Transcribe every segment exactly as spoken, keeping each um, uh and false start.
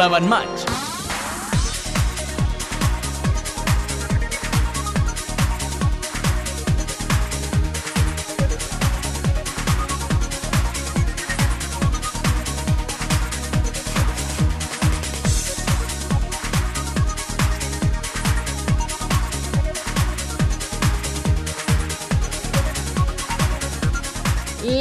l'avantmatx.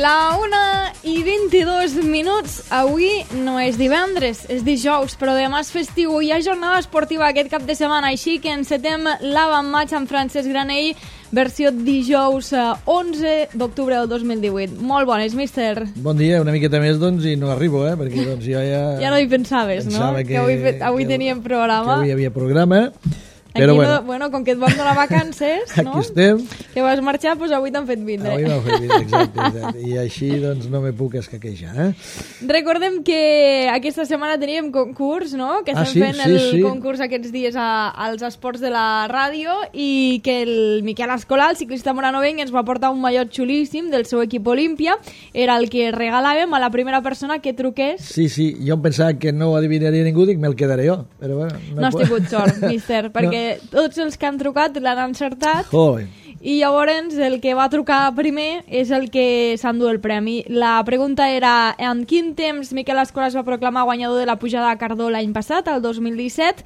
La una i vint-i-dos minuts. Avui no és divendres, és dijous, però demà és festiu. Hi ha jornada esportiva aquest cap de setmana, així que encetem l'avantmatx amb Francesc Granell, versió dijous onze d'octubre del dos mil divuit. Molt bones, míster. Bon dia, una miqueta més, doncs, i no arribo, eh? Perquè doncs, jo ja... Ja no hi pensaves, no? Que, que avui, fet, avui que, teníem programa. Que avui hi havia programa. Aquí però no, bueno, bueno, com que et vam donar vacances, no? Aquí estem. Que vas marxar, doncs avui t'han fet vindre. Avui m'han fet vindre, exacte, exacte. I així doncs no me puc escaquejar, eh? Recordem que aquesta setmana teníem concurs, no? Que estem ah, sí, fent sí, el sí. concurs aquests dies a, als esports de la ràdio i que el Miquel Escolà, el ciclista moranovenc, ens va portar un mallot xulíssim del seu equip Olímpia. Era el que regalàvem a la primera persona que truqués. Sí, sí, jo em pensava que no ho adivinaria ningú, dic, me'l quedaré jo. Però bueno, no, no has tingut sort, míster, perquè no. Tots els que han trucat l'han encertat. Joder. I llavors el que va trucar primer és el que s'endú el premi. La pregunta era: en quin temps Miquel Escolà es va proclamar guanyador de la pujada a Cardó l'any passat, el dos mil disset?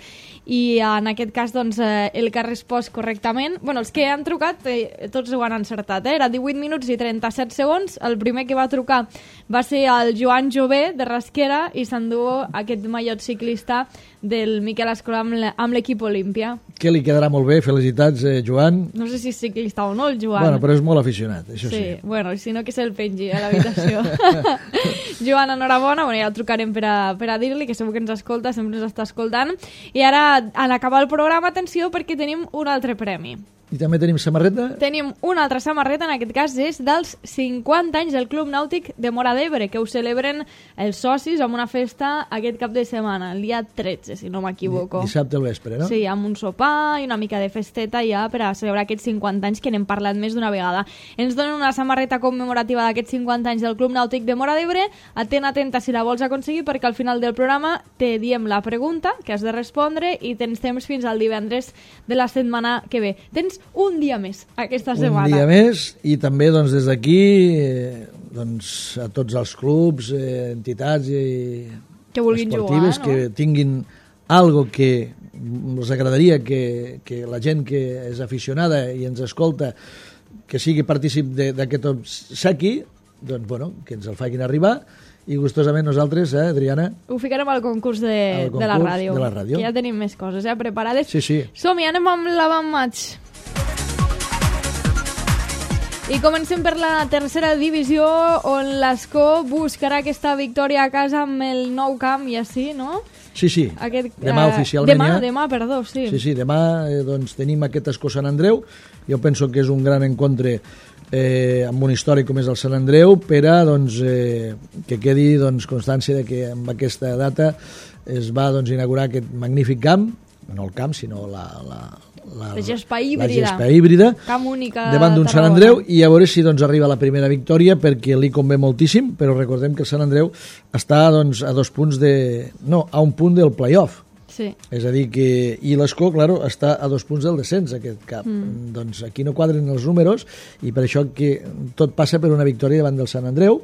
I en aquest cas, doncs, el que ha respost correctament... Bueno, els que han trucat, eh, tots ho han encertat, eh? Era divuit minuts i trenta-set segons. El primer que va trucar va ser el Joan Jové, de Rasquera, i s'endú aquest mallot ciclista del Miquel Escolà amb l'equip Olímpia. Que li quedarà molt bé, felicitats, eh, Joan. No sé si és ciclista o no, el Joan. Bueno, però és molt aficionat, això sí. Sí, bueno, si no que se'l pengi a l'habitació. Joan, enhorabona, bueno, ja el trucarem per a, per a dir-li, que segur que ens escolta, sempre ens està escoltant. I ara, en acabar el programa, atenció, perquè tenim un altre premi. I també tenim samarreta? Tenim una altra samarreta, en aquest cas és dels cinquanta anys del Club Nàutic de Móra d'Ebre, que ho celebren els socis amb una festa aquest cap de setmana, el dia tretze, si no m'equivoco. Dissabte al vespre, no? Sí, amb un sopar i una mica de festeta ja per a celebrar aquests cinquanta anys que n'hem parlat més d'una vegada. Ens donen una samarreta commemorativa d'aquests cinquanta anys del Club Nàutic de Móra d'Ebre. Atent, atenta si la vols aconseguir, perquè al final del programa te diem la pregunta que has de respondre i tens temps fins al divendres de la setmana que ve. Tens un dia més aquesta setmana. Un dia més, i també doncs, des d'aquí eh, doncs, a tots els clubs, eh, entitats i que vulguin esportives jugar, no? Que tinguin algo que els agradaria que, que la gent que és aficionada i ens escolta que sigui partícip d'aquest obsequi, doncs bueno, que ens el facin arribar. I gustosament nosaltres, eh, Adriana? Ho ficarem al concurs de, concurs de, la ràdio, de la ràdio. Que ja tenim més coses eh, preparades. Sí, sí. Som-hi, anem amb l'avantmatx. I comencem per la tercera divisió, on l'Escó buscarà aquesta victòria a casa amb el nou camp, i així, no? Sí, sí, aquest, demà uh, oficialment demà, ja. Demà, perdó, sí. Sí, sí, demà eh, doncs, tenim aquest Escó Sant Andreu. Jo penso que és un gran encontre eh, amb un històric com és el Sant Andreu, per a doncs, eh, que quedi doncs, constància de que amb aquesta data es va doncs, inaugurar aquest magnífic camp, no el camp, sinó la, la, la, la gespa híbrida, la gespa híbrida camp única davant d'un Sant Andreu, i a veure si doncs, arriba la primera victòria, perquè li convé moltíssim, però recordem que el Sant Andreu està doncs, a dos punts de... no, a un punt del play-off. Sí. És a dir que... I l'Escó, claro, està a dos punts del descens, aquest cap. Mm. Doncs aquí no quadren els números, i per això que tot passa per una victòria davant del Sant Andreu,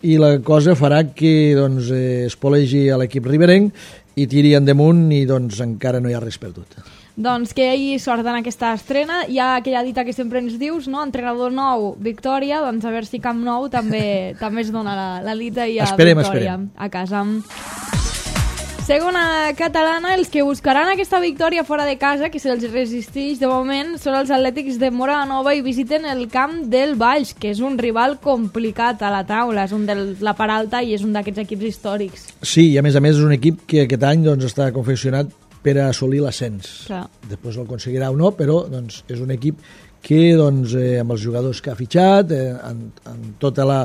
i la cosa farà que doncs, eh, es polegi a l'equip riberenc i tiri endamunt, i doncs encara no hi ha res perdut. Doncs que hi sort en aquesta estrena. Hi ha aquella dita que sempre ens dius, no? Entrenador nou, victòria. Doncs a veure si Camp Nou també també es dona la, la dita i hi ha esperem, victòria esperem. a casa. Segona catalana, els que buscaran aquesta victòria fora de casa, que se'ls resisteix de moment, són els Atlètics de Móra la Nova i visiten el camp del Valls, que és un rival complicat a la taula, és un de la part alta i és un d'aquests equips històrics. Sí, i a més a més és un equip que aquest any doncs, està confeccionat per a assolir l'ascens. Clar. Després el aconseguirà o no, però doncs, és un equip que doncs, eh, amb els jugadors que ha fitxat, eh, en, en tota la,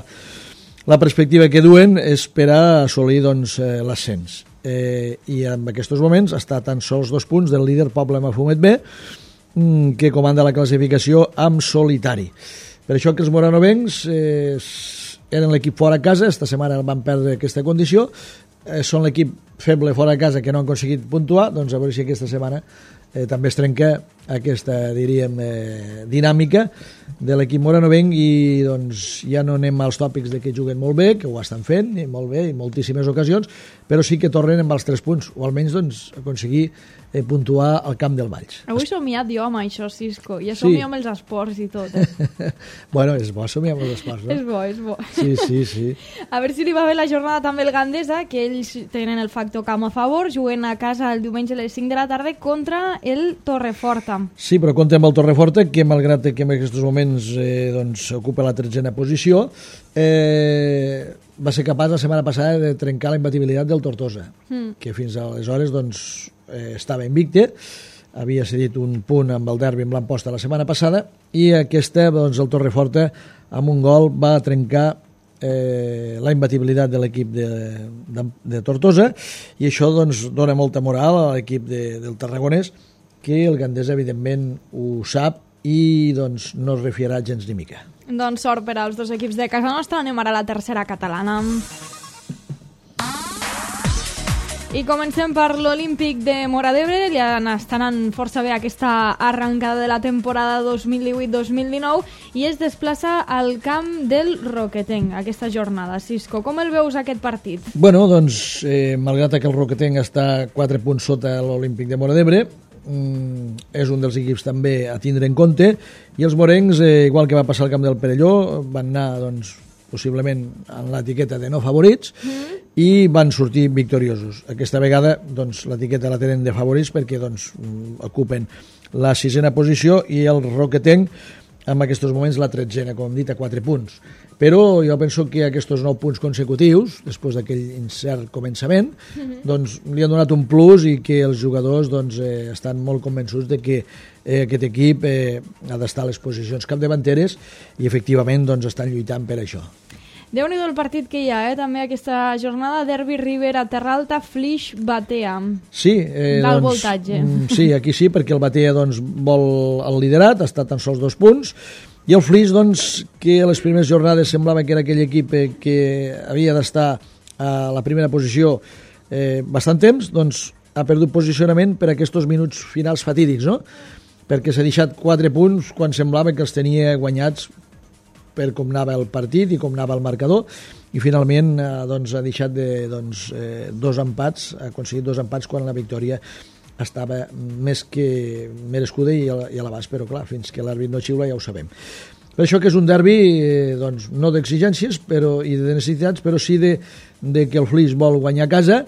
la perspectiva que duen, és per a assolir doncs, eh, l'ascens. Eh, i en aquests moments està tan sols dos punts del líder Poble Mafumet B, que comanda la classificació amb solitari. Per això que els moranovencs eh, eren l'equip fora a casa, esta setmana van perdre aquesta condició, eh, són l'equip feble fora de casa que no han aconseguit puntuar, doncs a veure si aquesta setmana eh, també es trenca aquesta, diríem, eh, dinàmica de l'equip moranovenc i doncs ja no anem als tòpics de que juguen molt bé, que ho estan fent, i molt bé, i moltíssimes ocasions, però sí que tornen amb els tres punts, o almenys doncs, aconseguir eh, puntuar al camp del Valls. Avui he somiat jo amb això, Cisco, i he somiat sí. amb els esports i tot. Eh? Bueno, és bo somiar amb els esports, no? És bo, és bo. Sí, sí, sí. A veure si li va bé la jornada també el Gandesa, que ells tenen el factor camp a favor, juguen a casa el diumenge a les cinc de la tarda contra el Torreforta. Sí, però compte amb el Torreforta, que malgrat que en aquests moments eh, doncs, ocupa la tretzena posició, eh, va ser capaç la setmana passada de trencar la imbatibilitat del Tortosa, mm. que fins aleshores doncs, eh, estava invicte, havia cedit un punt amb el derbi amb l'Amposta la setmana passada, i aquesta, doncs, el Torreforta, amb un gol, va trencar eh, la imbatibilitat de l'equip de, de, de Tortosa, i això doncs, dona molta moral a l'equip de, del Tarragonès, que el Gandesa, evidentment, ho sap i doncs, no es refiarà gens ni mica. Doncs sort per als dos equips de casa nostra. Anem ara a la tercera catalana. I comencem per l'Olímpic de Móra d'Ebre. Ja estan anant força bé aquesta arrencada de la temporada dos mil divuit dos mil dinou i es desplaça al camp del Roquetenc aquesta jornada. Cisco, com el veus aquest partit? Bueno, doncs, eh, malgrat que el Roquetenc està quatre punts sota l'Olímpic de Móra d'Ebre, és un dels equips també a tindre en compte, i els morencs, eh, igual que va passar al camp del Perelló, van anar doncs, possiblement en l'etiqueta de no favorits mm. i van sortir victoriosos. Aquesta vegada doncs, l'etiqueta la tenen de favorits perquè doncs, ocupen la sisena posició i el Roquetenc en aquests moments la tretzena, com hem dit, a quatre punts. Però jo penso que aquests nou punts consecutius, després d'aquell incert començament, mm-hmm. doncs li han donat un plus i que els jugadors doncs, eh, estan molt convençuts de que eh, aquest equip eh, ha d'estar a les posicions capdavanteres i efectivament doncs, estan lluitant per això. Déu-n'hi-do el partit que hi ha, eh? També aquesta jornada, Derbi Rivera, Terra Alta, Flix, Batea. Sí, eh, d'alt doncs, voltatge. Sí, aquí sí, perquè el Batea doncs, vol el liderat, està tan sols dos punts, i el Flix, doncs, que a les primeres jornades semblava que era aquell equip eh, que havia d'estar a la primera posició eh, bastant temps, doncs ha perdut posicionament per aquests minuts finals fatídics, no? Perquè s'ha deixat quatre punts quan semblava que els tenia guanyats per com anava el partit i com anava el marcador, i finalment eh, doncs, ha deixat de, doncs, eh, dos empats, ha aconseguit dos empats quan la victòria estava més que merescuda i a, i a l'abast, però clar, fins que l'àrbit no xiula ja ho sabem. Per això que és un derbi eh, doncs, no d'exigències però, i de necessitats, però sí de, de que el Flix vol guanyar a casa,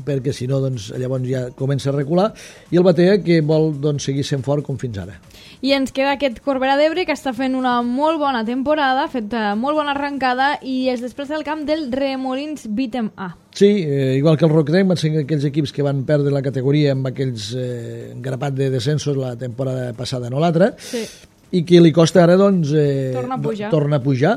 perquè si no doncs, llavors ja comença a recular, i el Batea que vol doncs, seguir sent fort com fins ara. I ens queda aquest Corbera d'Ebre que està fent una molt bona temporada, ha fet molt bona arrencada i es desplaça al camp del Remolins Beat'em A. Sí, eh, igual que el Roquetenc van ser aquells equips que van perdre la categoria amb aquells eh, grapat de descensos la temporada passada, no l'altra, sí. I que li costa ara doncs, eh, torna a pujar, torna a pujar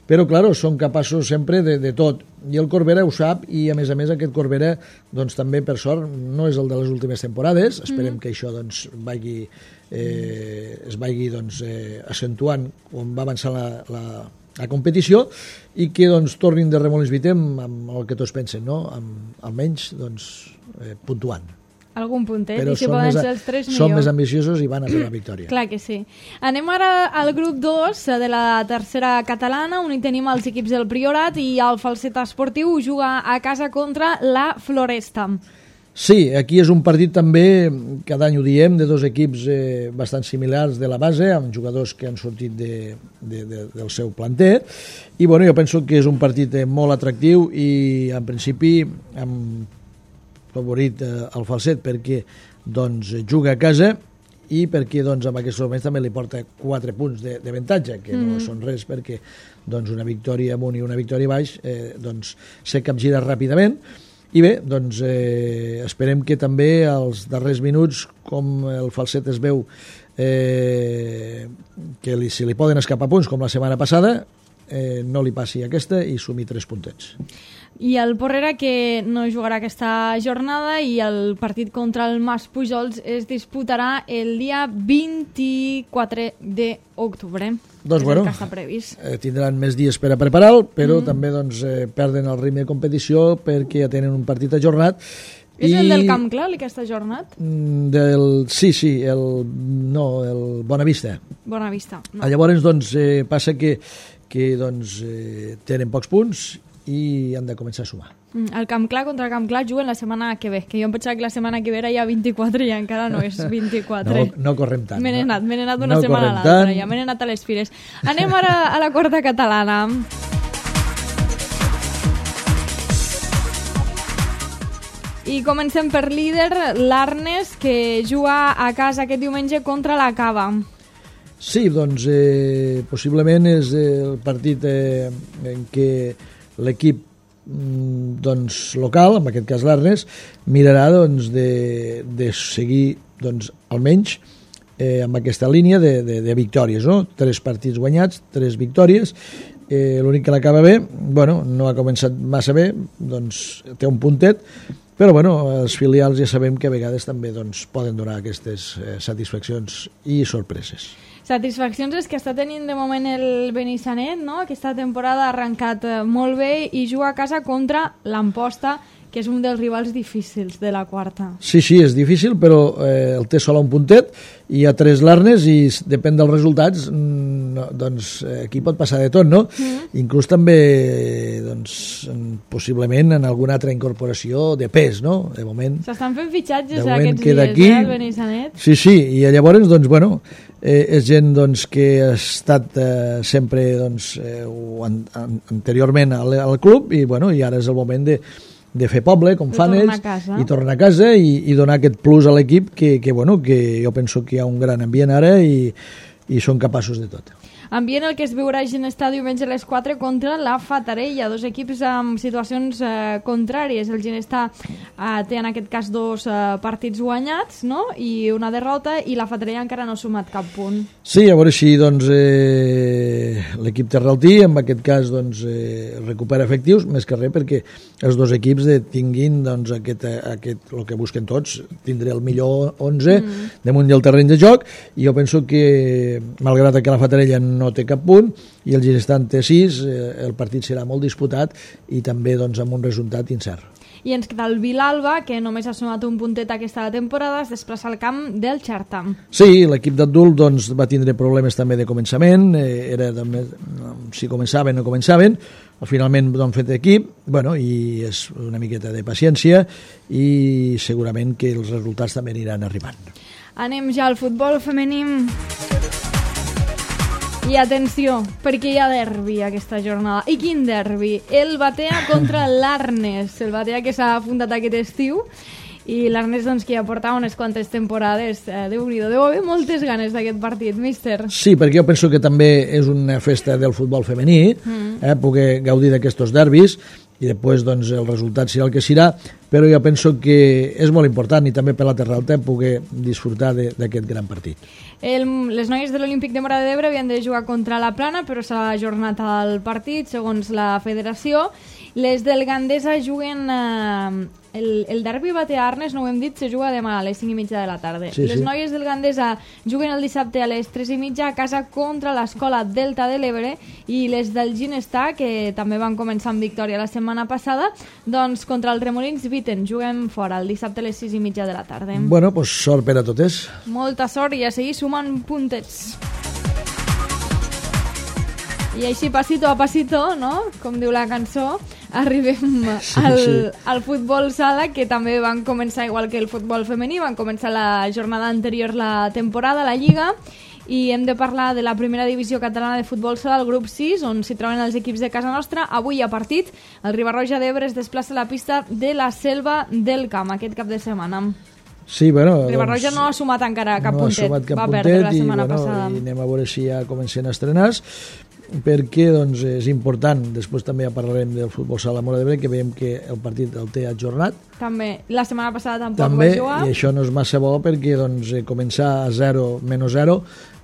però claro, són capaços sempre de, de tot, i el Corbera ho sap, i a més a més aquest Corbera doncs, també per sort no és el de les últimes temporades, esperem mm. que això doncs, vagi, eh, es vagi doncs, eh, accentuant on va avançar la, la, la competició, i que doncs, tornin de Remolins Beat'em amb el que tots pensen, no? amb, almenys doncs, eh, puntuant. Algun puntet, però i si poden ser els tres, millor. Són més ambiciosos i van a per la victòria. Clar que sí. Anem ara al grup dos de la tercera catalana, on hi tenim els equips del Priorat, i el Falset Esportiu juga a casa contra la Floresta. Sí, aquí és un partit també, cada any ho diem, de dos equips eh, bastant similars de la base, amb jugadors que han sortit de, de, de, del seu planter, i bueno, jo penso que és un partit eh, molt atractiu i en principi amb favorit eh, al Falset perquè doncs, juga a casa i perquè doncs, en aquests moments també li porta quatre punts d'avantatge, que mm. no són res perquè doncs, una victòria amunt i una victòria baix eh, doncs, se capgira ràpidament. I bé, doncs, eh, esperem que també als darrers minuts, com el Falset es veu eh, que li, si li poden escapar punts com la setmana passada, eh, no li passi aquesta i sumi tres puntets. I el Porrera, que no jugarà aquesta jornada, i el partit contra el Mas Pujols es disputarà el dia vint-i-quatre d'octubre. Doncs és bueno, el que està previst. Eh, tindran més dies per a preparar-lo, però mm. també doncs, eh, perden el ritme de competició perquè ja tenen un partit ajornat. És I... el del Camp Clar, el que està ajornat? Del... Sí, sí, el... no, el Bonavista. Bonavista. No. Llavors, doncs, eh, passa que, que doncs, eh, tenen pocs punts i han de començar a sumar. El Camp Clar contra el Camp Clar juguen la setmana que ve, que jo em pensava que la setmana que ve era ja vint-i-quatre i encara no és vint-i-quatre. No, no correm tant. Me n'he anat, me n'he anat d'una no setmana a l'altra, ja me n'he anat a les fires. Anem ara a la quarta catalana. I comencem per líder, l'Arnes, que juga a casa aquest diumenge contra la Cava. Sí, doncs eh, possiblement és el partit eh, en què l'equip doncs, local, en aquest cas l'Arnes, mirarà doncs, de, de seguir doncs, almenys eh, amb aquesta línia de, de, de victòries, no? Tres partits guanyats, tres victòries. Eh, l'únic que l'acaba bé, bueno, no ha començat massa bé, doncs té un puntet, però bueno, els filials ja sabem que a vegades també doncs, poden donar aquestes eh, satisfaccions i sorpreses. Satisfaccions és que està tenint de moment el Benissanet, no? Aquesta temporada ha arrencat molt bé i juga a casa contra l'Amposta, que és un dels rivals difícils de la quarta. Sí, sí, és difícil, però eh, el té sol a un puntet, i hi ha tres l'Arnes i depèn dels resultats, no, doncs aquí pot passar de tot, no? Mm. Inclús també, doncs, possiblement en alguna altra incorporació de pes, no? De moment... S'estan fent fitxatges aquests dies, aquí, eh, el Benissanet? Sí, sí, i llavors, doncs, bueno, eh, és gent doncs, que ha estat eh, sempre doncs, eh, an an anteriorment al, al club i, bueno, i ara és el moment de de fer poble, com fan ells, i tornar a casa i, i donar aquest plus a l'equip que, que, bueno, que jo penso que hi ha un gran ambient ara i, i són capaços de tot. Ambient el que es viurà a Ginestar diumenge a les quatre contra la Fatarella, dos equips amb situacions eh, contràries. El Ginestar eh, té en aquest cas dos eh, partits guanyats, no? I una derrota, i la Fatarella encara no ha sumat cap punt. Sí, a veure si doncs, eh, l'equip terraltí en aquest cas doncs, eh, recupera efectius, més que res perquè els dos equips de, tinguin doncs, aquest, aquest, el que busquen tots, tindré el millor onze mm. damunt del terreny de joc, i jo penso que malgrat que la Fatarella no té cap punt i el Ginestar en té sis, eh, el partit serà molt disputat i també doncs, amb un resultat incert. I ens queda el Vilalba, que només ha sumat un puntet aquesta temporada, es desplaça al camp del Xerta. Sí, l'equip d'adult doncs, va tindre problemes també de començament, eh, era també, si començaven o no començaven, finalment han fet equip, bueno, i és una miqueta de paciència i segurament que els resultats també aniran arribant. Anem ja al futbol femení. I atenció, perquè hi ha derbi aquesta jornada. I quin derbi? El Batea contra l'Arnes. El Batea que s'ha fundat aquest estiu i l'Arnes doncs, que ja portava unes quantes temporades. Eh, Déu-n'hi-do, deu haver moltes ganes d'aquest partit, míster. Sí, perquè jo penso que també és una festa del futbol femení, mm. eh, poder gaudir d'aquests derbis i després doncs, el resultat serà el que serà, però jo penso que és molt important i també per la Terra Alta poder disfrutar d'aquest gran partit. El, les noies de l'Olímpic de Móra d'Ebre havien de jugar contra la Plana, però s'ha ajornat el partit, segons la federació. Les del Gandesa juguen... Eh, el, el derbi Batea-Arnes, no ho hem dit, se juga demà a les cinc i mitja de la tarda. Sí, les sí. noies del Gandesa juguen el dissabte a les tres i mitja a casa contra l'Escola Delta de l'Ebre, i les del Ginestar, que també van començar amb victòria la setmana passada, doncs contra el Remolins Viten, juguem fora el dissabte a les sis i mitja de la tarda. Bueno, pues sort per a totes. Molta sort i a seguir sumant puntets. I així, passito a passito, no? Com diu la cançó, arribem sí, al, sí. al futbol sala, que també van començar igual que el futbol femení, van començar la jornada anterior la temporada, la Lliga, i hem de parlar de la primera divisió catalana de futbol sala, el grup sis, on s'hi troben els equips de casa nostra. Avui hi ha partit, el Riba-roja d'Ebre es desplaça a la pista de la Selva del Camp aquest cap de setmana. Sí, bueno, Riba-roja doncs, no ha sumat encara cap no puntet, ha sumat cap va puntet perdre la i, setmana bueno, passada. I anem a veure si ja comencen a estrenar, perquè doncs, és important, després també ja parlarem del futbol sala Móra d'Ebre, que veiem que el partit el té ajornat. També, la setmana passada tampoc també, va jugar. I això no és massa bo perquè doncs, començar a zero, menys zero,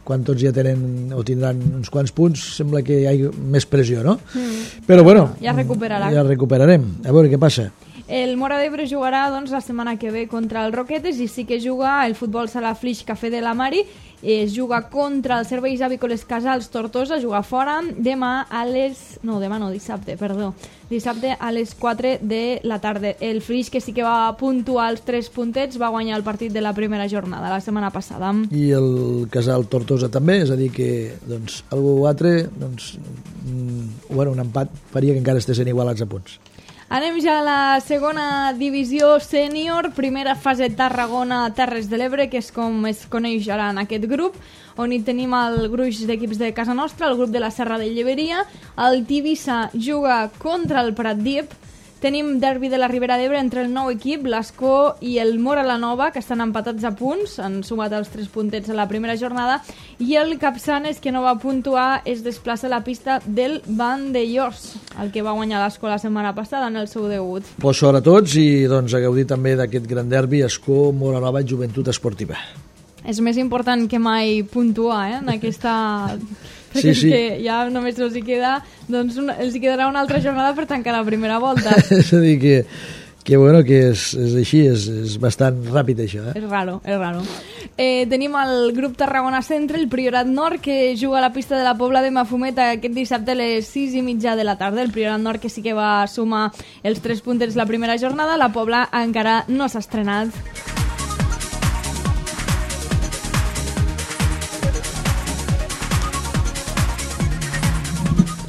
quan tots ja tenen o tindran uns quants punts, sembla que hi ha més pressió, no? Mm. Però bueno, ja recuperarà. Ja recuperarem. A veure què passa. El Móra d'Ebre jugarà doncs, la setmana que ve contra el Roquetes i sí que juga el futbol sala Flix Café de la Mari, es juga contra els serveis avícoles Casals Tortosa, juga fora demà a les... no, demà no, dissabte, perdó dissabte a les quatre de la tarda. El Flix, que sí que va puntuar els tres puntets, va guanyar el partit de la primera jornada la setmana passada. I el Casal Tortosa també, és a dir que doncs, algú altre doncs, mm, bueno, un empat faria que encara estessin igualats a punts. Anem ja a la segona divisió sènior, primera fase Tarragona-Terres de l'Ebre, que és com es coneix ara en aquest grup, on hi tenim el gruix d'equips de casa nostra, el grup de la Serra de Lleberia, el Tivissa juga contra el Pratdip, tenim derbi de la Ribera d'Ebre entre el nou equip, l'Escó i el Mora la Nova, que estan empatats a punts, han sumat els tres puntets a la primera jornada, i el Capçanes, que no va puntuar, es desplaça a la pista del Vandellós, el que va guanyar l'Escó la setmana passada en el seu debut. Pues sort a tots i doncs, a gaudir també d'aquest gran derbi Escó, Mora Nova, Joventut Esportiva. És més important que mai puntuar, eh, en aquesta... Sí, sí. Que ja només els hi queda, doncs un, els hi quedarà una altra jornada per tancar la primera volta. És a dir, que, que, bueno, que és, és així, és, és bastant ràpid això. Eh? És raro, és raro. Eh, tenim el grup Tarragona Centre, el Priorat Nord, que juga a la pista de la Pobla de Mafumet aquest dissabte a les sis i mitja de la tarda. El Priorat Nord, que sí que va sumar els tres puntets la primera jornada, la Pobla encara no s'ha estrenat.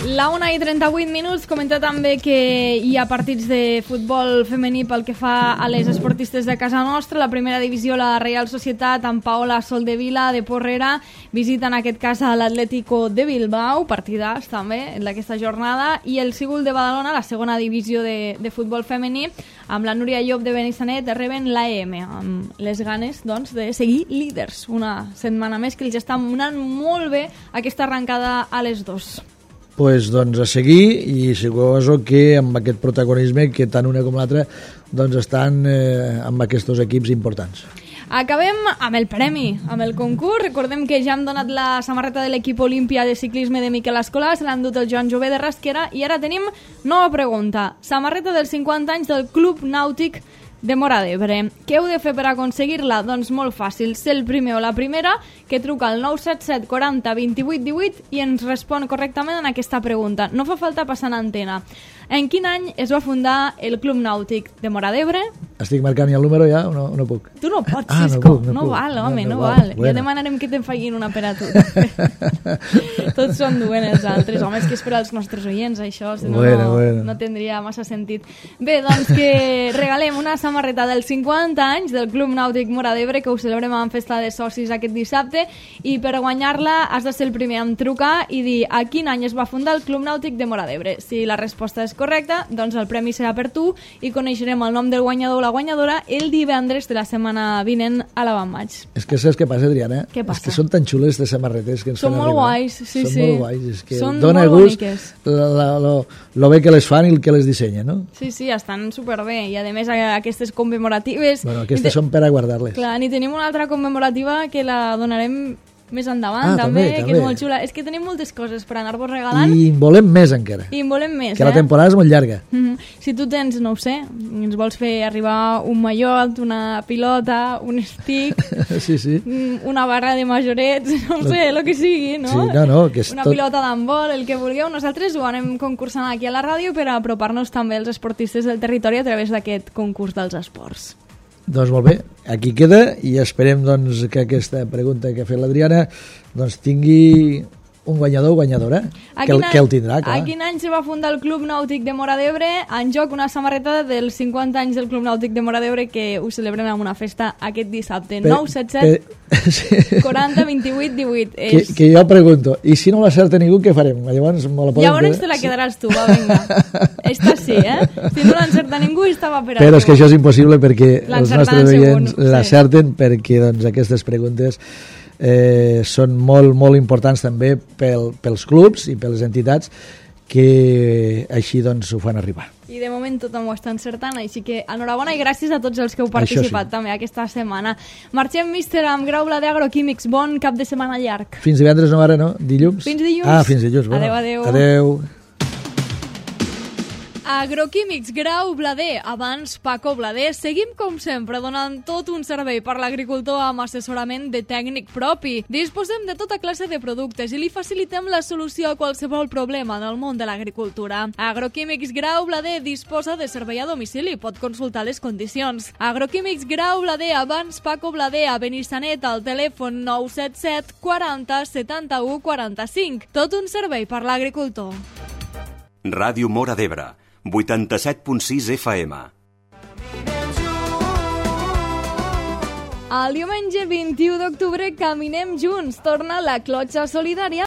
La una i trenta-vuit minuts, comentar també que hi ha partits de futbol femení pel que fa a les esportistes de casa nostra. La primera divisió, la Reial Societat, amb Paola Soldevila de Porrera, visita en aquest cas a l'Atlético de Bilbao, partidàs també en aquesta jornada, i el Cíbul de Badalona, la segona divisió de, de futbol femení, amb la Núria Llop de Benissanet, reben l'A M, amb les ganes doncs, de seguir líders. Una setmana més que els està anant molt bé aquesta arrencada a les dos. Pues, doncs a seguir, i suposo que amb aquest protagonisme que tant una com l'altra doncs estan eh, amb aquests equips importants. Acabem amb el premi, amb el concurs. Recordem que ja hem donat la samarreta de l'equip Olímpia de ciclisme de Miquel Escolà, se l'han dut el Joan Jové de Rasquera, i ara tenim nova pregunta. Samarreta dels cinquanta anys del Club Nàutic de Móra d'Ebre. Què heu de fer per aconseguir-la? Doncs molt fàcil, ser el primer o la primera que truca al nou set set quaranta vint-i-vuit divuit i ens respon correctament en aquesta pregunta. No fa falta passar en antena. En quin any es va fundar el Club Nàutic de Móra d'Ebre? Estic marcant ja el número ja o no, no puc? Tu no pots, ah, Cisco. No, puc, no, no puc. val, home, no, no, no val. val. Bueno. Ja demanarem que te'n facin una per a tu. Tots són duent els altres. Home, és que és per als nostres oients, això. Si no, bueno, no, bueno. no tindria massa sentit. Bé, doncs que regalem una samarreta dels cinquanta anys del Club Nàutic Móra d'Ebre, que ho celebrem amb festa de socis aquest dissabte, i per guanyar-la has de ser el primer en trucar i dir a quin any es va fundar el Club Nàutic de Móra d'Ebre. Si la resposta és correcta, doncs el premi serà per tu i coneixerem el nom del guanyador o la guanyadora el divendres de la setmana vinent a la Van Maig. És que saps què passa, Adriana? Què passa? És que són tan xules de samarretes que ens són fan molt arribar. guais, sí, són sí. molt guais. És que són dona molt gust boniques. la, la, lo, lo bé que les fan i el que les dissenya, no? Sí, sí, estan superbé. I a més aquestes commemoratives... Bueno, aquestes són per a guardar-les. Clar, ni tenim una altra commemorativa que la donarem més endavant, ah, també, també, que també. és molt xula. És que tenim moltes coses per anar-vos regalant. I en volem més encara. I en volem més, que eh? la temporada és molt llarga. Mm-hmm. Si tu tens, no ho sé, ens vols fer arribar un mallot, una pilota, un stick, sí, sí. una barra de majorets, no ho sé, el que sigui, no? Sí, no, no, que és una tot... pilota d'handbol, el que vulgueu. Nosaltres ho anem concursant aquí a la ràdio per apropar-nos també als esportistes del territori a través d'aquest concurs dels esports. Doncs molt bé, aquí queda i esperem doncs, que aquesta pregunta que ha fet l'Adriana doncs, tingui un guanyador o guanyadora, que el, any, que el tindrà, clar. A quin any se va fundar el Club Nàutic de Móra d'Ebre? En joc una samarreta dels cinquanta anys del Club Nàutic de Móra d'Ebre que ho celebrem amb una festa aquest dissabte. nou set set quaranta vint-i-vuit divuit. Que, és... que jo pregunto, i si no l'acerta ningú, què farem? Llavors, me la podem Llavors quedar? te la quedaràs tu, va, vinga. Esta sí, eh? Si no l'encerta ningú, estava per a Però tu. és que això és impossible perquè els nostres oients segur, l'acerten, sí. Perquè doncs, aquestes preguntes eh, són molt, molt importants també pel, pels clubs i per les entitats que així doncs ho fan arribar. I de moment tothom ho està encertant, així que enhorabona i gràcies a tots els que heu participat sí. també aquesta setmana. Marxem, míster, amb Grau Blader Agroquímics. Bon cap de setmana llarg. Fins divendres, no, ara, no? Dilluns? Fins dilluns. Ah, fins dilluns. Bueno. Adéu, adéu. Adéu. Agroquímics Grau Blader, abans Paco Blader. Seguim, com sempre, donant tot un servei per l'agricultor amb assessorament de tècnic propi. Disposem de tota classe de productes i li facilitem la solució a qualsevol problema del món de l'agricultura. Agroquímics Grau Blader disposa de servei a domicili, pot consultar les condicions. Agroquímics Grau Blader, abans Paco Blader, a Benissanet, al telèfon nou set set quaranta setanta-u quaranta-cinc. Tot un servei per l'agricultor. Ràdio Móra d'Ebre, vuitanta-set punt sis F M. El diumenge vint-i-u d'octubre caminem junts. Torna la clotxa solidària